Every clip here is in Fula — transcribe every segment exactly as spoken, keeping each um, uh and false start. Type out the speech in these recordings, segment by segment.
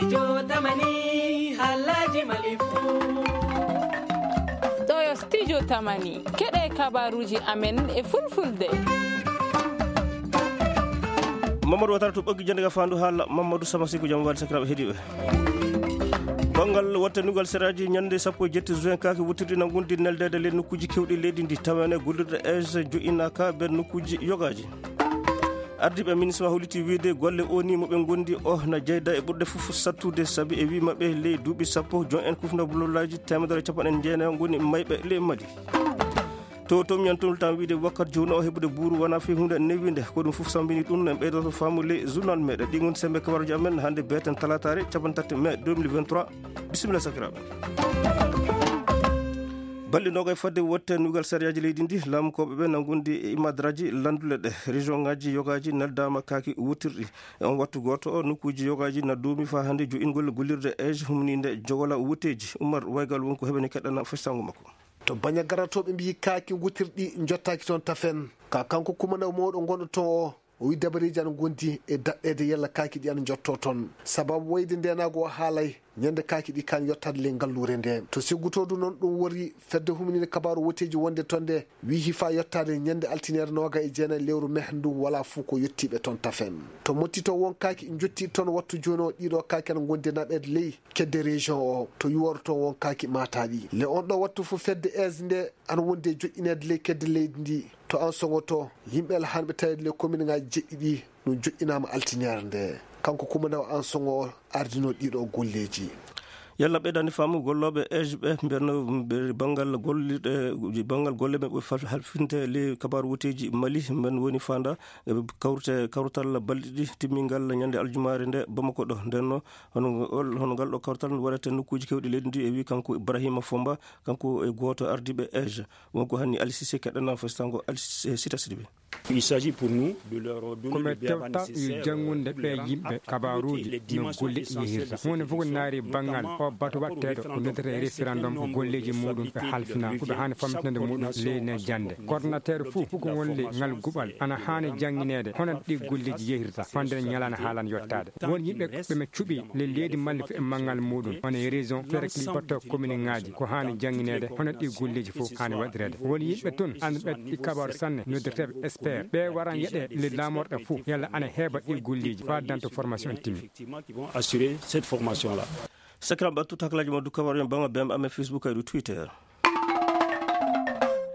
Jotamani, halaji malifu. Ɗo yo Studio Tamani, keɗe kabaruji amen e fulfulde. Mamadou Watara to ɓoggi jande ga fandu haala. Mamadou Samasiku, jam wali sakiraɓe heediɓe. Banngal wattanugol seraaji ñande sappo e jetti juin, kaaki wuttirɗi na ngundi neldeede ley nokkuuji keewɗi leydi ndi, tawene gollirɗe age joƴƴinaaka nder nokkuuji yogaaji. Ardiiɓe ministre holliti wiyde golle O N U mo ɓe ngondi o na jeyda e ɓurɗe fof sattude, sabi e wii maɓɓe ley duuɓi sappo, jon en kufna bulolaaji teemedere e capanɗe jeenayi ngoni mayɓe ley Mali. To, to miñan toltan wiide wakkati jooni o heɓude buuru wona fii huunde newinde. Ko ɗum fof sambini ɗum, en ɓeydoto faamu ley journal meɗen. Ɗi ngoni sembe kabaruji amen hannde beeten talataare capanɗe tati mai deux mille vingt-trois. Bisimilla sakiraaɓe. Balɗe noga e fadde wotte nugal sariyaaji leydi ndi, laamukooɓe ɓe na ngondi e imadraji landule ɗe. Région ngaji yogaji neldaama kaaki wuttirɗi. E on wattu gooto o, nokkuuji yogaji na duumi faa hannde jo'ingol gollirde age humninde jogola wutteeji. Umar Waygal won ko heɓani keɗɗana festango makko. To baña garatooɓe mbiyi kaaki ngutirɗi jottaaki toon tafen. Ka kanko kumana mawɗo gonɗo toon o, o wi dabareeji ana ngondi e daɗɗeede yalla kaaki ɗi ana njotto toon. Sababu wayde ndeenaagu o haalay ñande kaaki ɗi kaan yottaade ley ngalluure nde. To sigguto du noon ɗum wori fedde humininde kabaaru woteeji wonde toon nde wi hifaa yottaade ñande altiniere nooga e jeenayi lewru meh ndu wala fuu ko yottiiɓe toon tafen. To motti to won kaaki njotti toon wattu jooni o ɗiɗo kaaki ana ngondi naɓeede ley kedde région o, to yuworo toon won kaaki maataaɗi. Le on ɗo wattu fof fedde aise nde ana wondi e joƴƴineede ley kedde leydi ndi. To an soŋoto, yimɓe alhanɓe taweede ley kominŋaaji jeɗɗi ɗi, ɗum joƴƴinaama altiniere nde. Kanko kumana o an soŋo o ardino ɗiɗo golleeji. Yalla ɓeydani faamu gollooɓe age ɓe mbiyanno ɓe banngal gollirɗe, banngal golle ɓe ɓuri fal-, halfinte ley kabaaru woteeji Mali, mben woni faanda, e kawrite, kawtal balɗe ɗiɗi timmingal ñande aljumaare nde Bamako ɗo. Nden no, hono, hono ngal ɗo kawtal waɗata nokkuuji kewɗi leydi ndi e wi kanko Ibrahima Fomba, kanko e gooto ardiiɓe age. Wonko hanni Ali Cissé keɗɗana festango Ali Cissé, Sita Sidibé. Il s'agit pour nous de leur donner le béaba nécessaire, euh, pour les rendre compte de la sécurité et les dimensions essentielles de cette élection, notamment par rapport au fait que le référendum, ko golleeji muɗum ɓe halfina, ko ɓe haani famtinande muɗum ley ne jannde. Coordinateur fof, fof ko won ley ngal guɓal, ana haani janngineede hono ɗi golleeji yehirta, fande ñalaande haalan yottaade. Won yimɓe ɓe mi cuɓi le leydi Mali fof e manngal muɗum, woni région, cercle, batto commune ngaji, ko haani janngineede, hono ɗi golleeji fof haani waɗireede. Won yimɓe toon, annduɓe ɗi kabaaru sanne, noddirteeɓe expert. Ɓe waran yeɗe le laamorɗe fof, yalla ana heɓa ɗi golleeji, faa danto formation timmi. Effectivement, qui vont assurer cette formation-là. Sakiraɓe, ɓattu taklaaji mo du kabaaru en bama bem amen Facebook e du Twitter.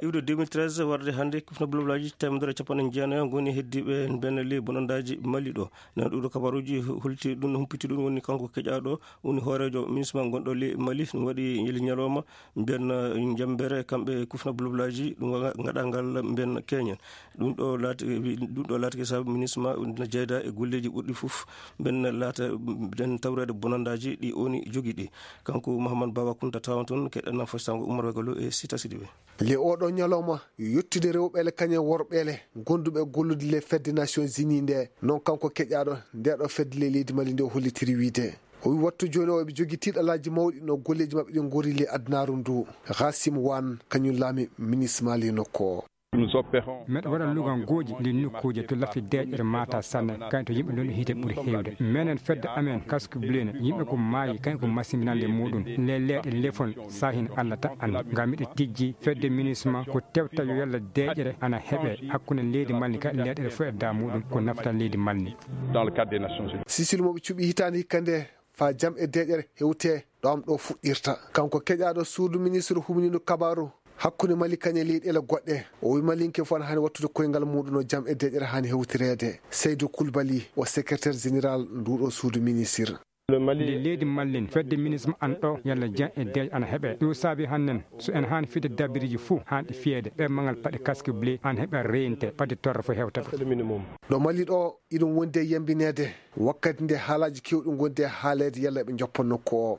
Iwde deux mille treize warde hannde, kufna bulabulaaji teemedere e capanɗe jeenayo ngoni heddiiɓe mben ley bonandaaji Mali ɗo. Nen ɗuɗo kabaruuji holti ɗum, humpiti ɗum, woni kanko keƴaaɗo, woni hooreejo ministre gonɗo ley Mali, ɗum waɗi ñali ñalawma mbiyan, eh, jambere kamɓe kufna bulabulaaji, ɗum wa-, ngaɗa ngal mbiyan keñen. Ɗum ɗo laati, ɗum ɗo laatike sabu ministre ma na jeyda e golleeji ɓurɗi fof, mbiyan laata, mbiyan tawreede bonandaaji ɗi oni jogi ɗi. Kanko Mouhamed Baba Kounta tawan toon, keɗɗana fostango Oumar Wegalo e Sita Sidibé. Le oɗo ñalawma, yottude rewɓeele kañum e worɓeele gonduɓe gollude le fedde Nations Unies nde, noon kanko keƴaaɗo nde ɗo fedde le leydi Mali nde o hollitiri wiide. O wi wattu jooni o eɓe jogii tiiɗalaaji mawɗi no golleeji maɓɓe ɗi ngori le adunaaru ndu. Gassim Wan, kañum laami ministre Mali nokku o. Meɗa waɗa lugangooji le nokkuuje to laffi deeƴere maata sanne, kañum to yimɓe ɗon hiite ɓuri heewde. Menen fedde amen Casque Bleu ne, yimɓe ko maayi, kañum ko masimbinande muɗum. Le leeɗe lefol Sahin Allah ta anndi. Ngam miɗo tijji fedde minisma ko tewta yo yalla deeƴere ana heɓe hakkunde leydi Mali ka leeɗere fof e da muɗum ko nafta leydi Mali. Dans le cadre des Nations Unies. Sisil mo ɓe cuɓi hitaande hikka nde faa jam e deeƴere hewte ɗo am ɗo fuɗɗirta. Kanko keƴaaɗo suudu ministre humniiɗo kabaaru hakkunde Mali kañe leyɗeele goɗɗe. O wi Malinke fof ana haani wattude koyngal muɗum no jam e deeƴere haani hewtireede. Seydou Koulibaly o secrétaire général nduɗo suudu ministre. Nde leydi Mallin, fedde minisma an ɗo, yalla jan e deej ana heɓe. Ɗum saabi hannden, so en haani fide dabiriji fuu, haanɗi fiyeede, ɓe mangal paɗe casque bleu, an heɓe reyinte, paɗe torre fof hewta ɗum. Ɗo Mali ɗo, iɗum wondi e yambineede, wakkati nde haalaaji keewɗi ngondi e haaleede, yalla ɓe njoppa nokku o.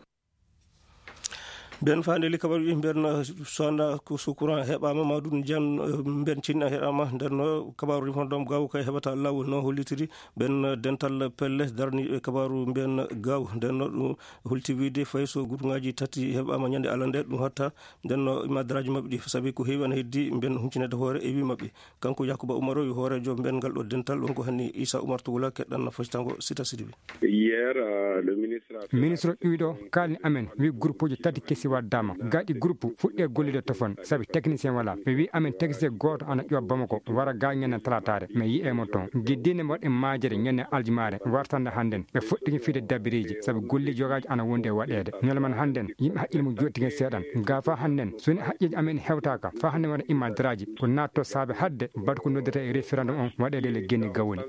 Ben faande li kabaru ɗi ben, eh, sonda ko su courant heɓama ma ɗum jan, eh, ben cinna heɓama. Nden no kabaru refondom gaw kay heɓata lawol no hollitiri ben, eh, dental pelle darni, eh, kabaru ben gaw. Nden no ɗum holti wiide fay so groupe ngaji tati heɓama ñande alande ɗum hatta. Nden no imadraji maɓɓe ɗi sabi ko heewi ana heddi ben huncinede hoore e wi maɓɓe. Kanko Yakuba Umaro wi hoorejo ben ngal ɗo dental ɗum ko hanni Isa Umar Tugula keɗɗan na fasitango sita sidibi. Hier, euh, le ministre a fait ministre ɗuyɗo kalni amen wi groupe uji tati kesi waddama gaɗi groupe fuɗɗe gollude tofon sabi technicien wala. Ɓe wi amen technicien goto ana ƴuwa Bamako wara ga ñande talatare mi yi'e mo ton giddine mbaɗe majere ñande aljumare wartande hannden ɓe fuɗɗiki fiide dabiriji sabi golli jogaji ana wondi e waɗede ñalaman hannden yimɓe haqqille mum jottiki seeɗan ga fa hannden soni haqqeji amen hewtaka fa hannden waɗa imadraji ko natto saabe hadde baɗa ko noddata e référendum on waɗede le genni gawoni.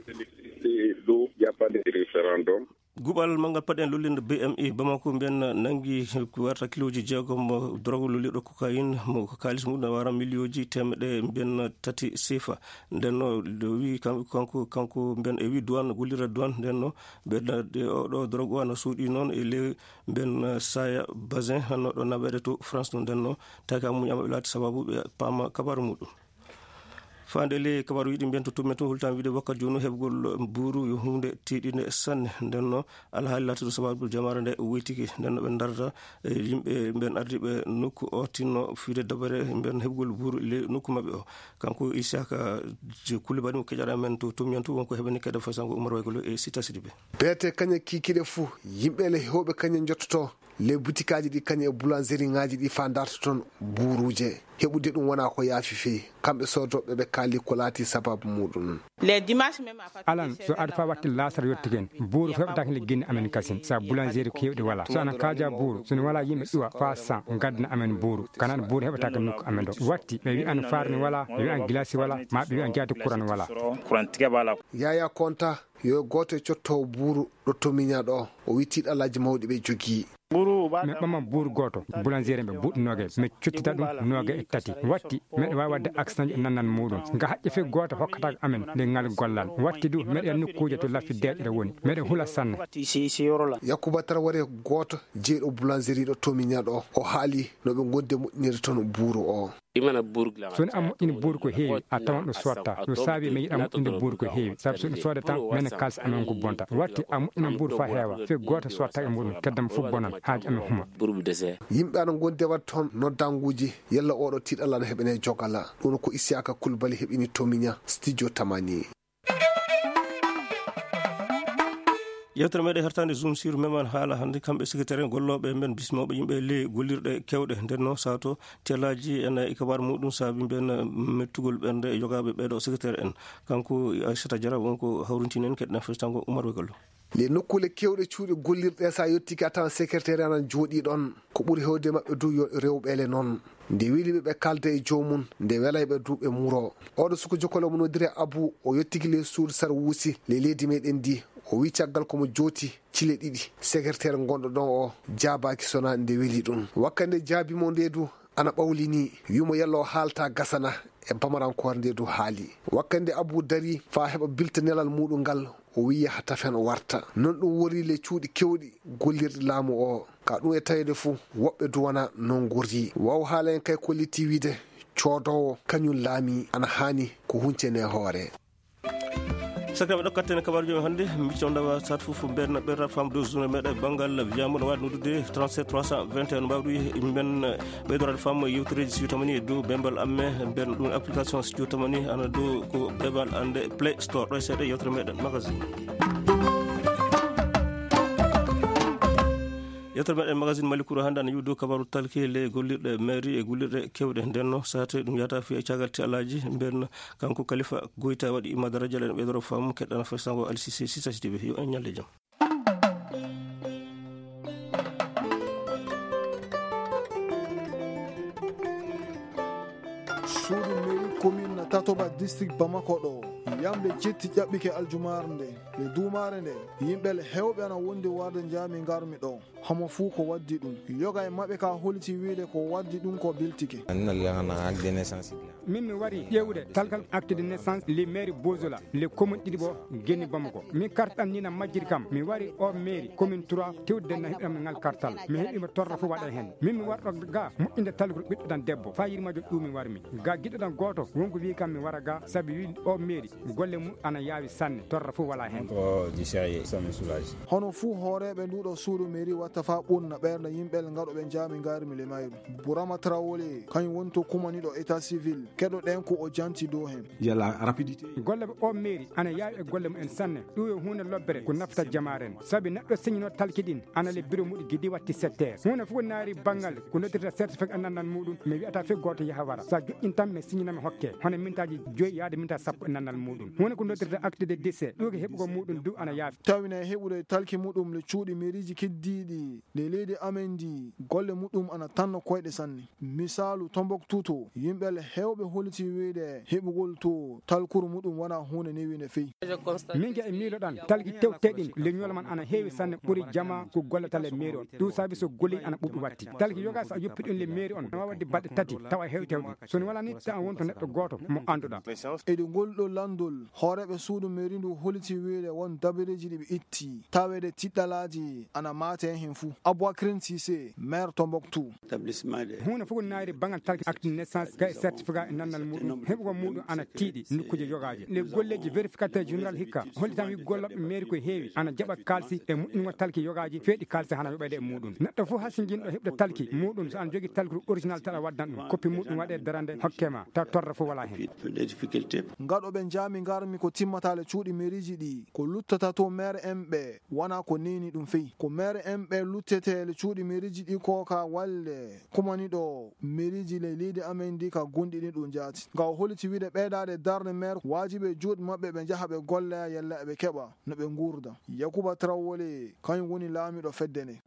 Guɓal manngal paɗen lullinde B M I Bamako mbiyen nangi ko warta kiloji jeegom drogue lullirɗo cocaïne mo ko kaalis mum ne wara million ji temeɗe mbiyen tati sefa. Nden no wi kanko kanko mbiyen e wi douane gollira douane nden no mbiyen oɗo drogue o ana suuɗi noon e ley mbiyen saya basin hanno ɗo naweede to France ɗum nden no taki amuñama ɓe laati sababu ɓe paama kabaru muɗum. Faande le kabaru yiɗi mbiyen to tummen to hultan wiide wakkat joni heɓgol buuru yo hunde tiiɗinde sanne. Nden no alhaali laatuɗo sababu jamaare nde wuytiki nden no ɓe darata e yimɓe mbiyen ardiɓe nokku o tinno fiide dabare mbiyen heɓgol buuru le nokku maɓɓe o. Kanko Isaka Kulibali mo keƴara men to tumñan to wonko heɓani kede fasango Umar Waygolo e Sita Sidibe. Beete kañe kikiɗe fuu yimɓe le hewɓe kañe njottoto le butikaaji ɗi kañe e boulangerie ŋaaji ɗi fa darta toon buuruuje. Heɓude ɗum wona ko yaafi feyi. Kamɓe soodooɓe ɓe kaali ko laati sababu muɗum. Alan so ada fa watti laasara yottiken buuru feɓataake le ginni amen kasin sa boulangerie ko hewɗi wala so ana kaaja buuru so ni wala yimɓe ƴuwa fa san gaddana amen buuru kanan buuru heɓataake nokku amen ɗo watti ɓe wi'an farni wala ɓe wi'an gilasi wala ma ɓe wi'an jaati kuran wala. Yaya Konta yo gooto e cotto buuru ɗo tomiña ɗo o wi tiiɗalaaji mawɗi ɓe jogii. Mi ɓama buuru gooto boulangerie ɓe buuɗi noogay mi cottita ɗum noogay e tati watti meɗa waawi waɗde accident e nannan muɗum nga haƴƴe fii gooto hokkataako amen nde ngal gollal watti du meɗa e nokkuuje to laffi deeƴere woni meɗa hula sanne. Yakuba Taraware gooto jeyɗo boulangerie ɗo tomiña ɗo o haali no ɓe gondi e moƴƴinirde toon buuru o. Soni a moƴƴini buuru ko heewi a tawan ɗo sotta no saabi mi yiɗa moƴƴinde buuru ko heewi sabu so ɗum soodata mene kalsa amen ko bonta watti a moƴƴina buuru fa heewa fii gooto sottaka e muɗum keddam fof bonan haaji amen huma. Yimɓe ana gondi e waɗde toon noddanguuji yalla oɗo tiiɗalla no heɓene jogala ɗum ko Isiyaka Kulbali heɓini tomiña studio tamani. Yewtere meɗen hertande zoom sur meman haala hannde kamɓe secrétaire en gollooɓe men bismooɓe yimɓe ley gollirɗe kewɗe ndenno sato telaji en e kabar muɗum saabi mbiyen mettugol ɓernde e yogaaɓe ɓeeɗo secrétaire en. Kanko Aissata Diarra wonko hawrintini en keɗɗen festango Oumar Wegollo. Le nokkule kewɗe cuuɗi gollirɗe sa yettike a tawan secrétaire anan jooɗi ɗon ko ɓuri hewde maɓɓe du yo rewɓele noon. Nde weli ɓe ɓe kalda e joomum nde welay ɓe du ɓe muro. Oɗo suko jokkol omo noddire Abu o yettiki ley suudu sar wuusi ley leydi meɗen ndi. O wi caggal komo jooti cile ɗiɗi secrétaire gonɗo ɗon o jaabaaki sona nde weli ɗum wakkande jaabimo nde du ana ɓawlini wimo yalla o haalta gasana. E bamarankoore nde du haali wakkande Abu dari fa heɓa bilta nelal muɗum ngal o wi yaha tafen o warta. Non ɗum wori le cuuɗi kewɗi gollirɗi laamu o ka ɗum e tawede fuu woɓɓe duwana non gorri waw haala en kay kolliti wiide coodoowo kañum laami ana haani ko huncene hoore. Sakiraɓe ɗo katten kabaruji men hannde micco ndawa sat fof mbeɗa ɓerɗa fam dow journée meɗa banngal wiyama no wawi noddude trente-sept trois cent vingt et un mbawɗo men ɓeydorade fam yewtereji siwtamani e dow bembal amme mbeɗa ɗum application siwtamani ana dow ko bebal ande play store ɗo e seeɗa yewtere meɗen magazine. Yewtere meɗen magazine mali kuro hannde ana yiwdo kabaru talki le gollirɗe mairie e gollirɗe kewɗe ndenno sate ɗum yata fi e cagal ti alaji mbeɗa. Kanko kalifa goyta waɗi madara jalen ɓeydoro fam keɗɗana fay sango alsisi sisasitiɓe yo en ñalde jam. Suudu mairie commune tatoba district bamako ɗo. Yamde jetti ƴaɓɓike aljumaare nde. Le duumaare nde, yimɓe le heewɓe ana wondi warde njaami ngarmi ɗo. Homo fuu ko waddi ɗum. Yoga e maɓɓe ka holiti wiide ko waddi ɗum ko biltike. Anina lana ak de naissance. Min mi wari ƴeewde talkal acte de naissance le maire Bozola, le commune ɗiɗi bo Geni Bamako. Min kartal ni na majjiri kam. Mi wari o maire commune trois tewde na heɓi am ngal kartal. Mi heɓi mo torra fof waɗa hen. Min mi warɗo ga moƴƴinde talkuru ɓiɗɗo ɗan debbo. Fa yirmajo ɗum mi warmi. Ga giɗo ɗan gooto wonko wi kam mi wara ga sabi wi o maire golle mum ana yaawi sanne, torra fof wala hen. Ko di sérieux, ça me soulage. Hono fuu hooreeɓe nduuɗo suudu mairie watta faa ɓurna ɓernde yimɓe ngaɗooɓe njaami ngarmi le mayru. Burama Traoré, kañum woni to kumaniiɗo état civil, keɗoɗen ko o janti dow hen. Il y a la rapidité. Golle ɓe o mairie ana yaawi e golle mum en sanne. Ɗum yo huunde lobbere ko nafta jamaaren. Sabi neɗɗo signino talki ɗin ana le bureau muɗum gidi watti sept heures. Huunde fof naari banngal ko noddirta certificat e nannal muɗum, mi wi'ata fof gooto yaha wara. Sa joƴƴin tan mi signina mi hokke. Hono mintaaji joyi yaade minta sappo e nannal muɗum. Huunde ko noddirta acte de décès, ɗum ko heɓugol muɗum du ana yaafi. Tawine heɓude talki muɗum le cuuɗi mairie ji keddiiɗi le leydi amen ndi, golle muɗum ana tanno koyɗe sanne. Misaalu, Tombouctou to, yimɓe le heewɓe holiti wiide heɓugol to talkuru muɗum wona huunde newinde fey. Min ga e miiloɗan, talki tewteɗin le ñoolo man ana heewi sanne ɓuri jama ko gollata le mairie on. Ɗum sabi so golli ana ɓuɓɓi watti. Talki yoga so a yoppi ɗum le mairie on, na wawa wadde baɗɗe tati, tawa heewtewɗi. So ni wala ni, tawa wonto neɗɗo gooto mo annduɗa. Eɗi ngol ɗo lanndol, hooreeɓe suudu mairie ndu holiti wiide won dabareeji ɗi ɓe itti, taweede tiɗɗalaaji ana maate hen fuu. Aboubacrin Cissé, maire Tombouctou. Huunde fof ko naayri banngal talki acte de naissance, kay certificat e nannal muɗum, heɓugol muɗum ana tiiɗi nokkuuje yogaaji. Les golleeji vérificateur général hikka hollitan wi gollooɓe mairie ko heewi ana jaɓa kaalisi e moƴƴingol talki yogaaji, feeɗi kaalisi hana yoɓeede e muɗum. Neɗɗo fof hasinjinɗo heɓde talki muɗum, so ana jogii talkuru original taɗa waddan ɗum, koppi muɗum waɗe darande hokke ma, taw torra fof wala hen. Ngaɗooɓe njaami ngarmi ko timmata le cuuɗi mairie ji ɗi, ko luttata to maire en ɓe, wona ko neni ɗum fey. Ko maire en ɓe luttete le cuuɗi mairie ji ɗi ko ka walle kumaniiɗo mairie ji le leydi amen ndi ka gonɗini ɗum jaati. Nga o holiti wiide ɓeydaade darnde maire waajibi e juuɗe maɓɓe ɓe njaha ɓe golla yalla eɓe keɓa no ɓe nguurda. Yakuba Traoré, kañum woni laamiiɗo fedde nde.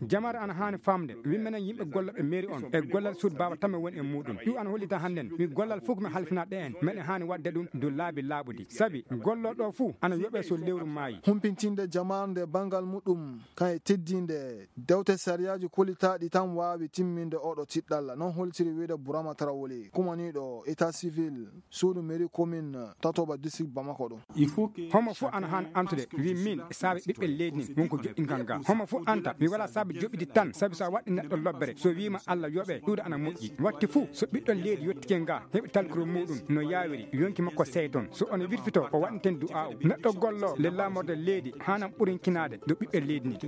Jamaare ana haani faamde, wi menen yimɓe gollooɓe mairie on, e gollal suudu baaba tan mi woni e muɗum. Ɗum ana hollita hannden, wi gollal fof ko mi halfina ɗe en, meɗen haani waɗde ɗum dow laabi laaɓuɗi. Sabi, gollooɗo fof ana yoɓe so lewru maayi. Humpintinde jamaare nde banngal muɗum, kan e teddinde dewte sariyaaji kolitaaɗi tan waawi timminde oɗo tiɗɗalla. Non holtiri wiide Burama Traoré, kumaniiɗo état civil, suudu mairie commune tatoba district Bamako ɗo. Homo fof ana haan antude, wi min, e saabe ɓiɓɓe leydi nin, wonko joɗɗingal ngal. Homo fof anta, mi wala saabe joɓidi tan, sabi so a waɗi neɗɗo lobbere, so wiima Allah yoɓe, ɗuuɗa ana moƴƴi. Watti fof, so ɓiɗɗo leydi yottike nga, heɓi talkuru muɗum, no yaawiri, yonki makko seyton. So ono wirfito, o waɗanten du'aaw. Neɗɗo gollo, le laamorde leydi, haanam ɓurinkinaade, do ɓiɓɓe leydi ni.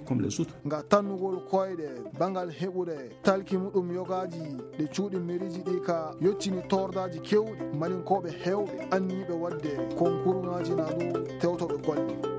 Nga tannugol koyɗe, bangal heɓude, talki muɗum yogaaji ɗe cuuɗi meriiji ɗi ka yottini tordaaji keewɗi, malinkooɓe heewɓe anniiɓe waɗde konkurŋaaji na ɗum tewtoɓe golle.